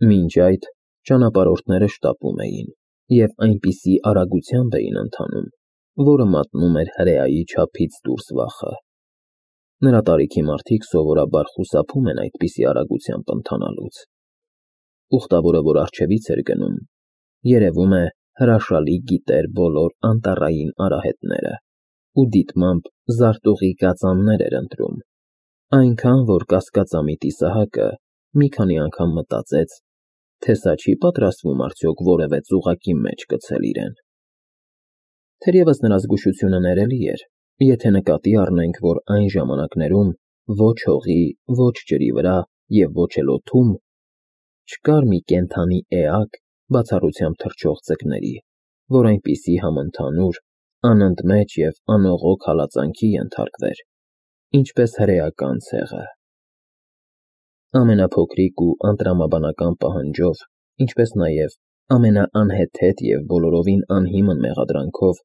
Մինչ այդ ճանապարհորդները շտապում էին և այնպիսի արագությամբ էին ընթանում, որը մատնում էր հրեայի չափից դուրս վախը։ Նրա տարիքի մարդիկ սովորաբար խուսափում են այդպիսի արագությամբ ընթանալուց։ Ուխտավորը, որ առջևից էր գնում, երևում է, հրաշալի գիտեր բոլոր անտառային արահետները ու դիտմամբ զարտուղի կածաններ էր ընտրում, այնքան, որ կասկածամիտ Իսահակը մի քանի անգամ մտածեց, թե սա չի պատրաստվում արդյոք որևէ ծուղակի մեջ գցել իրեն։ Թերևս նրա զգուշությունը ներելի էր, եթե նկատի առնենք, որ այն ժամանակներում ոչ հողի, ոչ ջրի վրա և ոչ էլ օդում չկար մի կենդանի էակ, բացառությամբ թռչող ձկների, որ այնպիսի համընդհանուր, անընդմեջ և անողոք հալածանքի ենթարկվեր, ինչպես հրեական ցեղը։ Ամենափոքրիկ ու անտրամաբանական պահանջով, ինչպես նաև ամենաանհեթեթ և բոլորովին անհիմն մեղադրանքով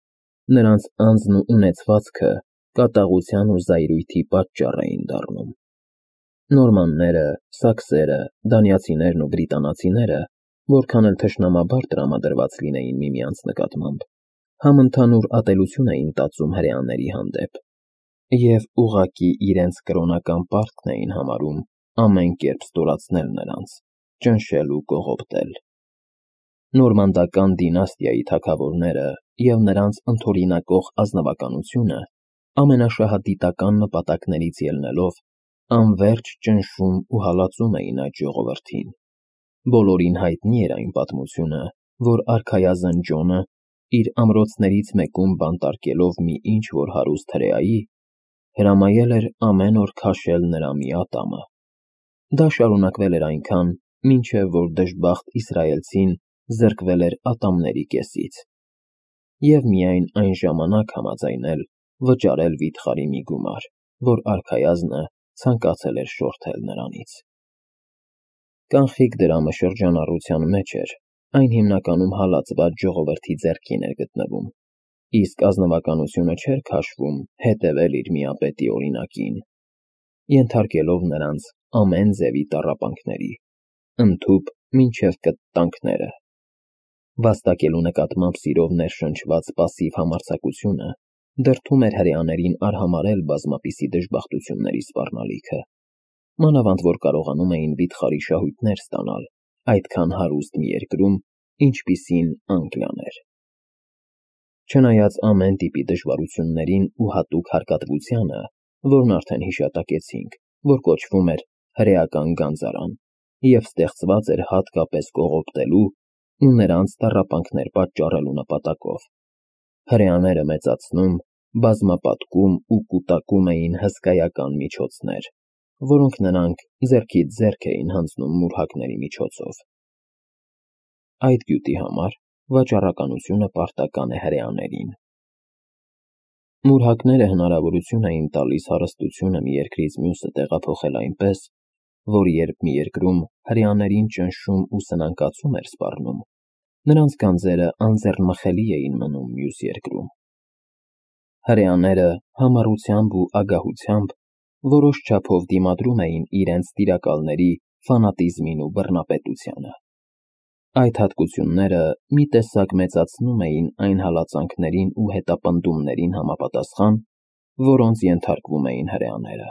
նրանց անձն ու ունեցվածքը կատաղության ու զայրույթի պատճառ էին դառնում։ Նորմանները, սաքսերը, դանիացիներն ու բրիտանացիները, որքան էլ թշնամաբար տրամադրված լինեին միմյանց նկատմամբ, համընդհանուր ատելություն էին տածում հրեաների հանդեպ և ուղղակի իրենց կրոնական պարտքն էին համարում ամեն կերպ ստորացնել նրանց, ճնշել ու կողոպտել։ Նորմանդական դինաստիայի թագավորները և նրանց ընդօրինակող ազնվականությունը ամենաշահադիտական նպատակներից ելնելով անվերջ ճնշում ու հալածում էին այդ ժողովրդին։ Բոլորին հայտնի էր այն պատմությունը, որ արքայազն Ջոնը իր ամրոցներից մեկում բանտարկելով մի ինչ-որ հարուստ հրեայի, հրամայել էր ամեն օր քաշել նրա մի ատամը։ Դա շարունակվել էր այնքան, մինչև որ դժբախտ իսրայելցին զրկվել էր ատամների կեսից և միայն այն ժամանակ համաձայնել վճարել վիթխարի մի գումար, որ արքայազնը ցանկացել էր շորթել նրանից։ Կանխիկ դրամը շրջանառության մեջ էր, այն հիմնականում հալածված ժողովրդի ձեռքին էր գտնվում, իսկ ազնվականությունը չէր քաշվում հետևել իր միապետի օրինակին, ենթարկելով նրանց ամեն ձևի տառապանքների, ընդհուպ մինչև կտտանքները։ Վաստակելու նկատմամբ սիրով ներշնչված պասիվ համարձակությունը դրդում էր հրեաներին արհամարհել բազմապիսի դժբախտությունների սպառնալիքը, մանավանդ որ կարողանում էին վիթխարի շահույթներ ստանալ այդքան հարուստ մի երկրում, ինչպիսին Անգլիան էր։ Չնայած ամեն տիպի դժվարություններին ու հատուկ հարկատվությանը, որն արդեն հիշատակեցինք, որ կոչվում էր հրեական գանձարան և ստեղծված էր հատկապես կողոպտելու ու նրանց տառապանքներ պատճառելու նպատակով, հրեաները մեծացնում, բազմապատկում ու կուտակում էին հսկայական միջոցներ, որոնք նրանք ձեռքից ձեռք էին հանձնում մուրհակների միջոցով։ Այդ գյուտի համար վաճառականությունը պարտական է հրեաներին։ Մուրհակները հնարավորություն էին տալիս հարստությունը մի երկրից մյուսը տեղափոխել այնպես, որ երբ մի երկրում հրեաներին ճնշում ու սնանկացում էր սպառնում, նրանց գանձերը անձեռնմխելի էին մնում մյուս երկրում։ Հրեաները համառությամբ ու ագահությամբ որոշ չափով դիմադրում էին իրենց տիրակալների ֆանատիզմին ու բռնապետությանը։ Այդ հատկությունները մի տեսակ մեծացնում էին այն հալածանքներին ու հետապնդումներին համապատասխան, որոնց ենթարկվում էին հրեաները։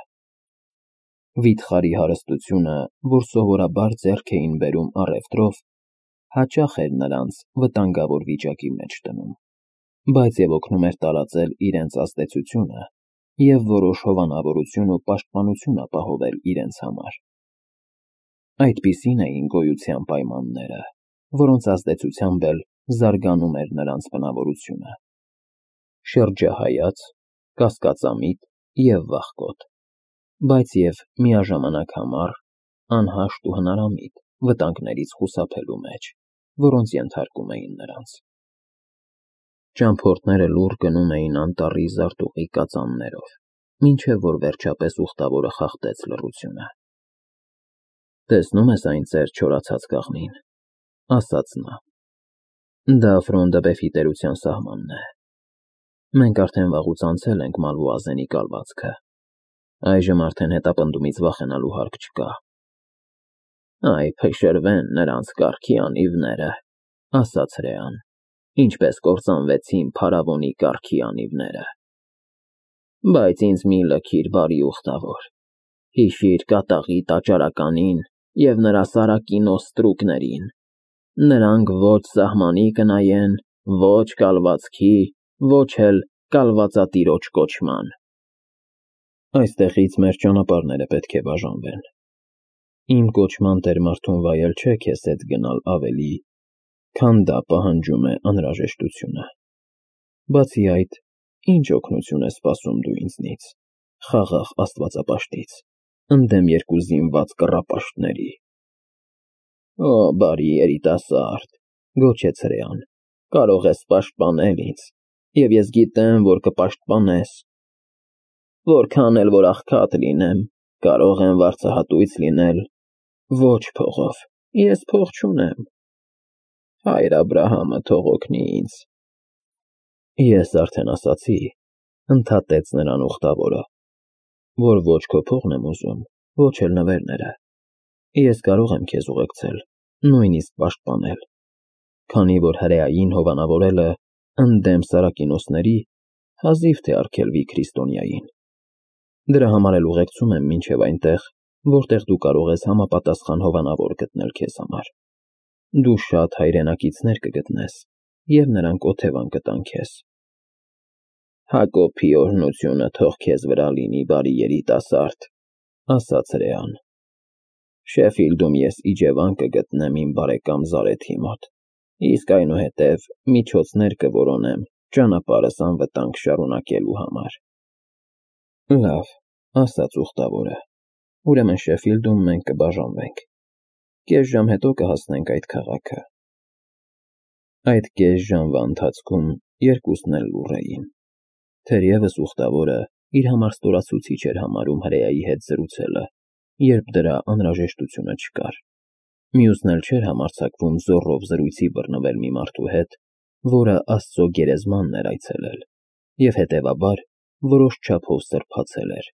Վիթխարի հարստությունը, որ սովորաբար ձեռք էին բերում առևտրով, հաճախ էր նրանց վտանգավոր վիճակի մեջ դնում, բայց և օգնում էր տարածել իրենց ազդեցությունը և որոշ հովանավորություն ու պաշտպանություն ապահովել իրենց համար։ Այդպիսին էին գոյության պայմանները, որոնց ազդեցությամբ էլ զարգանում էր նրանց բնավորությունը՝ շրջահայաց, կասկածամիտ և վախկոտ, բայց և միաժամանակ համառ, անհաշտ ու հնարամիտ վտանգներից խուսափելու մեջ, որոնց ենթարկում էին նրանց։ Ճամփորդները լուռ գնում էին անտառի զարտուղի կածաններով, մինչև որ վերջապես ուխտավորը խախտեց լռությունը։ «Տեսնում ես այն ծեր չորացած կաղնին,֊ ասաց նա,֊ դա Ֆրոնդը-Բեֆի տերության սահմանն է։ Մենք արդեն վաղուց անցել ենք Մալվուազենի կալվածքը, այժմ արդեն հետապնդումից վախենալու հարկ չկա։ Այ փշրվեն նրանց կառքի անիվները, ասաց հրեան, ինչպես կործանվեցին փարավոնի կառքի անիվները։ Բայց ինձ մի լքիր, բարի ուխտավոր, հիշիր կատաղի տաճարականին և նրա սարակին օստրուկներին, նրանք ոչ սահմանի կնայեն, ոչ կալվածքի, ոչ էլ կալվածատիրոջ կոչման։ Այստեղից մեր ճանապարհները պետք է բաժանվեն։ Իմ կոչման տեր մարդուն վայել չէ քեզ հետ գնալ ավելի, քան դա պահանջում է անհրաժեշտությունը։ Բացի այդ, ինչ օգնություն է սպասում դու ինձնից, խաղաղ աստվածապաշտից, ընդդեմ երկու զինված կռապաշտների։ Օ, բարի երիտասարդ, գոչեց հրեան, կարող ես պաշտպանել ինձ, և ես գիտեմ, որ կպաշտպանես։ Որքան էլ որ աղքատ լինեմ, կարող եմ վարձահատույց լինել։ Ոչ փողով, ես փող չունեմ։ Հայր Աբրահամը թող օգնի ինձ։ Ես արդեն ասացի, ընդհատեց նրան ուխտավորը, որ ոչ քո փողն եմ ուզում, ոչ էլ նվերները։ Ես կարող եմ քեզ ուղեկցել, նույնիսկ պաշտպանել, քանի որ հրեային հովանավորելը ընդդեմ Սարակինոսների հազիվ թե արգելվի քրիստոնյային։ Դրա համար էլ ուղեկցում եմ մինչև այնտեղ, որտեղ դու կարող ես համապատասխան հովանավոր գտնել քեզ համար։ Դու շատ հայրենակիցներ կգտնես, և նրանք օթևան կտան քեզ։ Հակոբի օրհնությունը թող քեզ վրա լինի, բարի երիտասարդ, ասաց հրեան։ Շեֆիլդում ես իջևան կգտնեմ իմ բարեկամ Զարեթի մոտ, իսկ այնուհետև միջոցներ կորոնեմ ճանապարհս անվտանգ շարունակելու համար։ Լավ, ասաց ուխտավորը, ուրեմն Շեֆիլդում մենք կբաժանվենք։ Կես ժամ հետո կհասնենք այդ քաղաքը։ Այդ կես ժամվա ընթացքում երկուսն էլ լուռ էին։ Թերևս ուխտավորը իր համար ստորացուցիչ էր համարում հրեայի հետ զրուցելը, երբ դրա անհրաժեշտությունը չկար։ Մյուսն էլ չէր համարձակվում զոռով զրույցի բռնվել մի մարդու հետ, որը Աստծո գերեզմանն էր այցելել, և հետևաբար որոշ չափով սրբացել էր։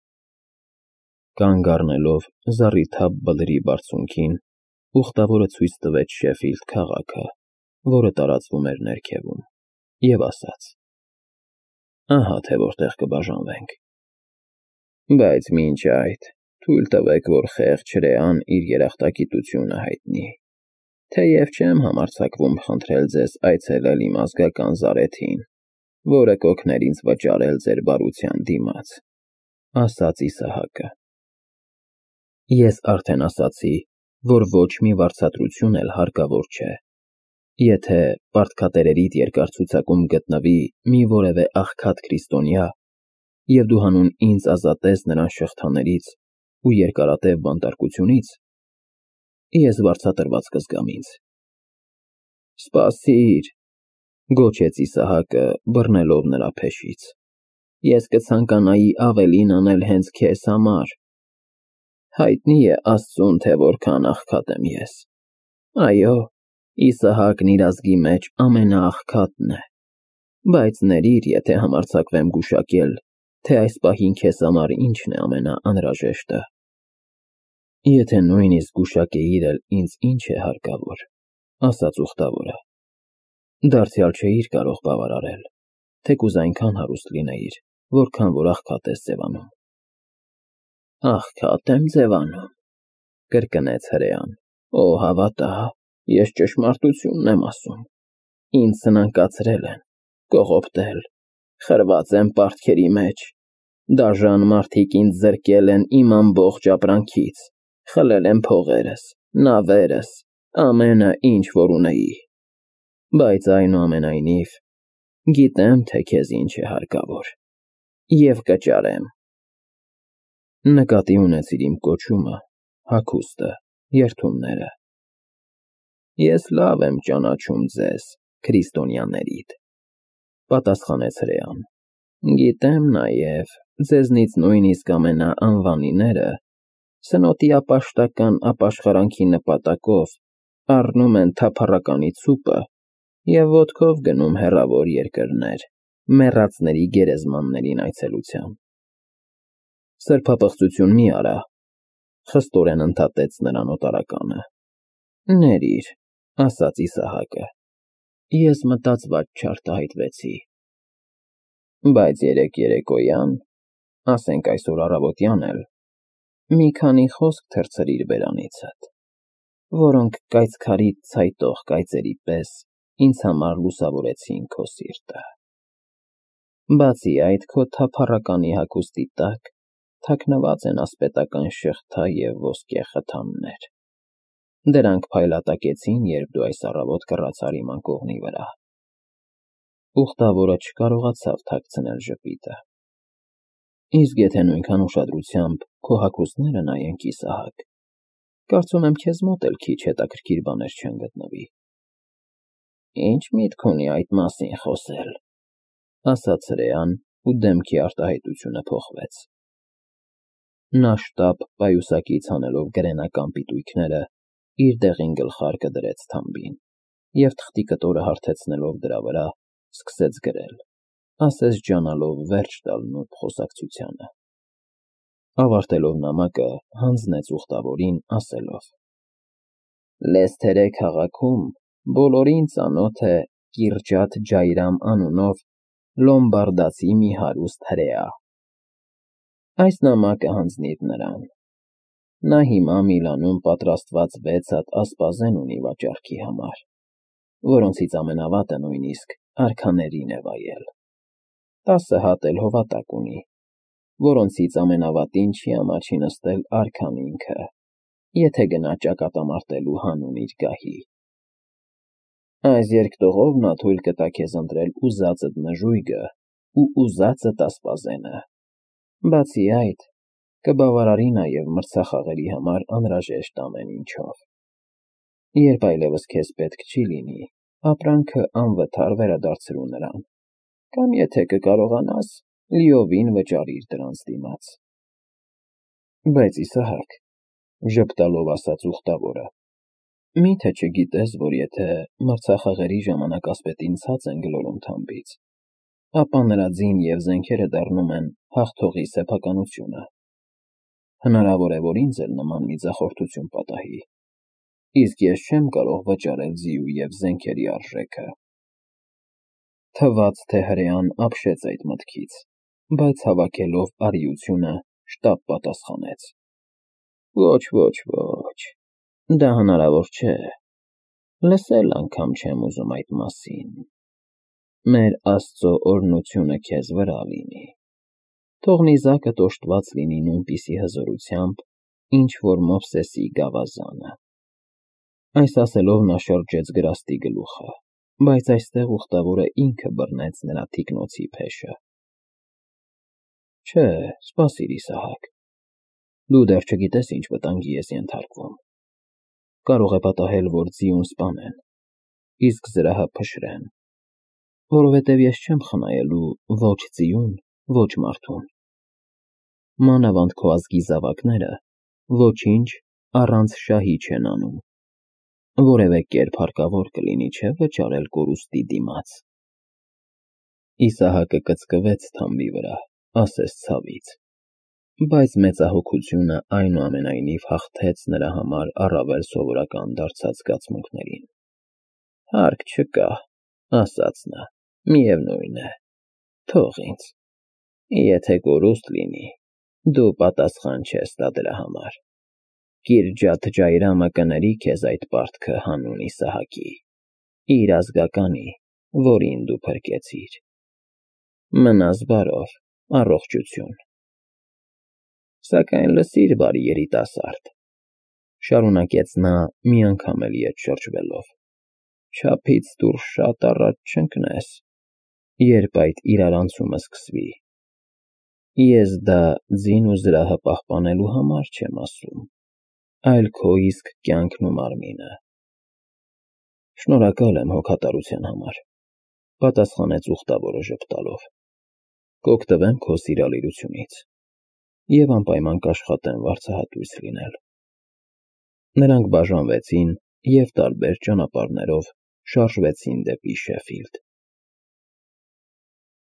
Կանգ առնելով զառիթափ բլրի բարձունքին, ուխտավորը ցույց տվեց Շեֆիլդ քաղաքը, որը տարածվում էր ներքևում, և ասաց. Ահա թե որտեղ կբաժանվենք։ Բայց մինչ այդ թույլ տվեք, որ խեղճ հրեան իր երախտագիտությունը հայտնի։ Թեև չեմ համարձակվում խնդրել ձեզ այցելել իմ ազգական Զարեթին, որը կօգներ ինձ վճարել ձեր բարության դիմաց, ասաց Իսահակը։ Ես արդեն ասացի, որ ոչ մի վարձատրություն էլ հարկավոր չէ։ Եթե պարտքատերերիդ երկար ցուցակում գտնվի մի որևէ աղքատ քրիստոնյա, և դու հանուն ինձ ազատես նրան շղթաներից ու երկարատև բանտարկությունից, ես վարձատրված կզգամ ինձ։ Սպասիր, գոչեց Իսահակը, բռնելով նրա փեշից։ Ես կցանկանայի ավելին անել հենց քեզ համար։ Հայտնի է Աստծուն, թե որքան աղքատ եմ ես։ Այո, Իսահակն իր ազգի մեջ ամենաաղքատն է։ Բայց ներիր, եթե համարձակվեմ գուշակել, թե այս պահին քեզ համար ինչն է ամենաանհրաժեշտը։ Եթե նույնիսկ գուշակեիր էլ ինձ ինչ է հարկավոր, ասաց ուխտավորը, դարձյալ չէիր կարող բավարարել, թեկուզ այնքան հարուստ լինեիր, որքան որ աղքատ ես ձևանում։ Աղքատ եմ ձևանում, կրկնեց հրեան։ Օ, հավատա, ես ճշմարտությունն եմ ասում։ Ինձ սնանկացրել են, կողոպտել, խրված եմ պարտքերի մեջ։ Դաժան մարդիկ ինձ զրկել են իմ ամբողջ ապրանքից, խլել են փողերս, նավերս, ամենը, ինչ որ ունեի։ Բայց այնուամենայնիվ, գիտեմ, թե քեզ ինչ է հարկավոր, և կճարեմ։ Նկատի ունեցիր իմ կոչումը, հագուստը, երդումները։ Ես լավ եմ ճանաչում ձեզ, քրիստոնյաներիդ, պատասխանեց հրեան։ Գիտեմ նաև, ձեզնից նույնիսկ ամենաանվանիները սնոտիապաշտական ապաշխարանքի նպատակով առնում են թափառականի ցուպը և ոտքով գնում հեռավոր երկրներ, մեռածների գերեզմաններին այցելության։ Սրբապղծություն մի արա, խստորեն ընդհատեց նրան օտարականը։ Ներիր, ասաց Իսահակը, ես մտածված չարտահայտվեցի, բայց երեկ երեկոյան, ասենք այսօր առավոտյան էլ, մի քանի խոսք թռցրիր բերանիցդ, որոնք կայծքարի ցայտող կայծերի պես ինձ համար լուսավորեցին քո սիրտը։ Բացի այդ, քո թափառականի հագուստի տակ թաքնված են ասպետական շղթա և ոսկե խթաններ։ Դրանք փայլատակեցին, երբ դու այս առավոտ կռացար իմ անկողնի վրա։ Ուխտավորը չկարողացավ թաքցնել ժպիտը։ Իսկ եթե նույնքան ուշադրությամբ քո հագուստները նայենք, Իսահակ, կարծում եմ քեզ մոտ էլ քիչ հետաքրքիր բաներ չեն գտնվի։ Ինչ միտք ունի այդ մասին խոսել, ասաց հրեան, ու դեմքի արտահայտությունը փոխվեց։ Նա շտապ պայուսակից հանելով գրենական պիտույքները, իր դեղին գլխարկը դրեց թամբին և թղթի կտորը հարթեցնելով դրա վրա, սկսեց գրել, ասես ջանալով վերջ տալ նուրբ խոսակցությանը։ Ավարտելով նամակը, հանձնեց ուխտավորին, ասելով. Լեսթերի քաղաքում բոլորին ծանոթ է Կիրջաթ Ջայրամ անունով լոմբարդացի մի հարուստ հրեա։ Այս նամակը հանձնիր նրան։ Նա հիմա Միլանում պատրաստված 6 հատ ասպազեն ունի վաճառքի համար, որոնցից ամենավատը նույնիսկ արքաներին է վայել։ 10 հատ էլ հովատակ ունի, որոնցից ամենավատին չի ամաչի նստել արքան ինքը, եթե գնա ճակատամարտելու հանուն իր գահի։ Այս երկտողով նա թույլ կտա քեզ ընտրել ուզածդ նժույգը ու ուզածդ ասպազենը։ Բացի այդ, կբավարարի նաև մրցախաղերի համար անհրաժեշտ ամեն ինչով։ Երբ այլևս քեզ պետք չի լինի, ապրանքը անվթար վերադարձրու նրան, կամ եթե կկարողանաս, լիովին վճարիր դրանց դիմաց։ Բայց Իսահակ, ժպտալով ասաց ուխտավորը, միթե չգիտես, որ եթե մրցախաղերի ժամանակ ասպետին ցած են գլորում թամբից, ապա նրա ձին և զենքերը դառնում են հաղթողի սեփականությունը։ Հնարավոր է, որ ինձ էլ նման մի ձախորդություն պատահի, իսկ ես չեմ կարող վճարել ձիու և զենքերի արժեքը։ Թվաց, թե հրեան ապշեց այդ մտքից, բայց հավաքելով արիությունը, շտապ պատասխանեց. Ոչ, դա հնարավոր չէ, լսել անգամ չեմ ուզում այդ մասին։ Մեր Աստծո օրհնությունը քեզ վրա լինի։ Թող նիզակդ օժտված լինի նույնպիսի հզորությամբ, ինչ որ Մովսեսի գավազանը։ Այս ասելով նա շրջեց գրաստի գլուխը, բայց այստեղ ուխտավորը ինքը բռնեց նրա թիկնոցի փեշը։ Չէ, սպասիր, Իսահակ, դու դեռ չգիտես ինչ վտանգի ես ենթարկվում։ Կարող է պատահել, որ ձիուն սպանեն, իսկ զրահը փշրեն, որովհետև ես չեմ խնայելու ոչ ձիուն, ոչ մարդուն։ Մանավանդ քո ազգի զավակները ոչինչ առանց շահի չեն անում, որևէ կերպ հարկավոր կլինի, չէ՞, վճարել կորուստի դիմաց։ Իսահակը կծկվեց թամբի վրա, ասես ցավից, բայց մեծահոգությունը այնուամենայնիվ հաղթեց նրա համար առավել սովորական դարձած զգացմունքներին։ Հարկ չկա, ասաց նա, միևնույն է, թող ինձ։ Եթե կորուստ լինի, դու պատասխան չես տա դրա համար։ Կիրջաթ Ջայրամը կների քեզ այդ պարտքը հանուն Իսահակի, իր ազգականի, որին դու փրկեցիր։ Մնաս բարով, առողջություն։ Սակայն լսիր, բարի երիտասարդ, շարունակեց նա մի անգամ էլ ետ շրջվելով, չափից դուրս շատ առաջ չընկնես, երբ այդ իրարանցումը սկսվի։ Ես դա ձին ու զրահը պահպանելու համար չեմ ասում, այլ քո իսկ կյանքն ու մարմինը։ Շնորհակալ եմ հոգատարության համար, պատասխանեց ուխտավորը ժպտալով։ Կօգտվեմ քո սիրալիրությունից և անպայման կաշխատեմ վարձահատույց լինել։ Նրանք բաժանվեցին և տարբեր ճանապարհներով շարժվեցին դեպի Շեֆիլդ։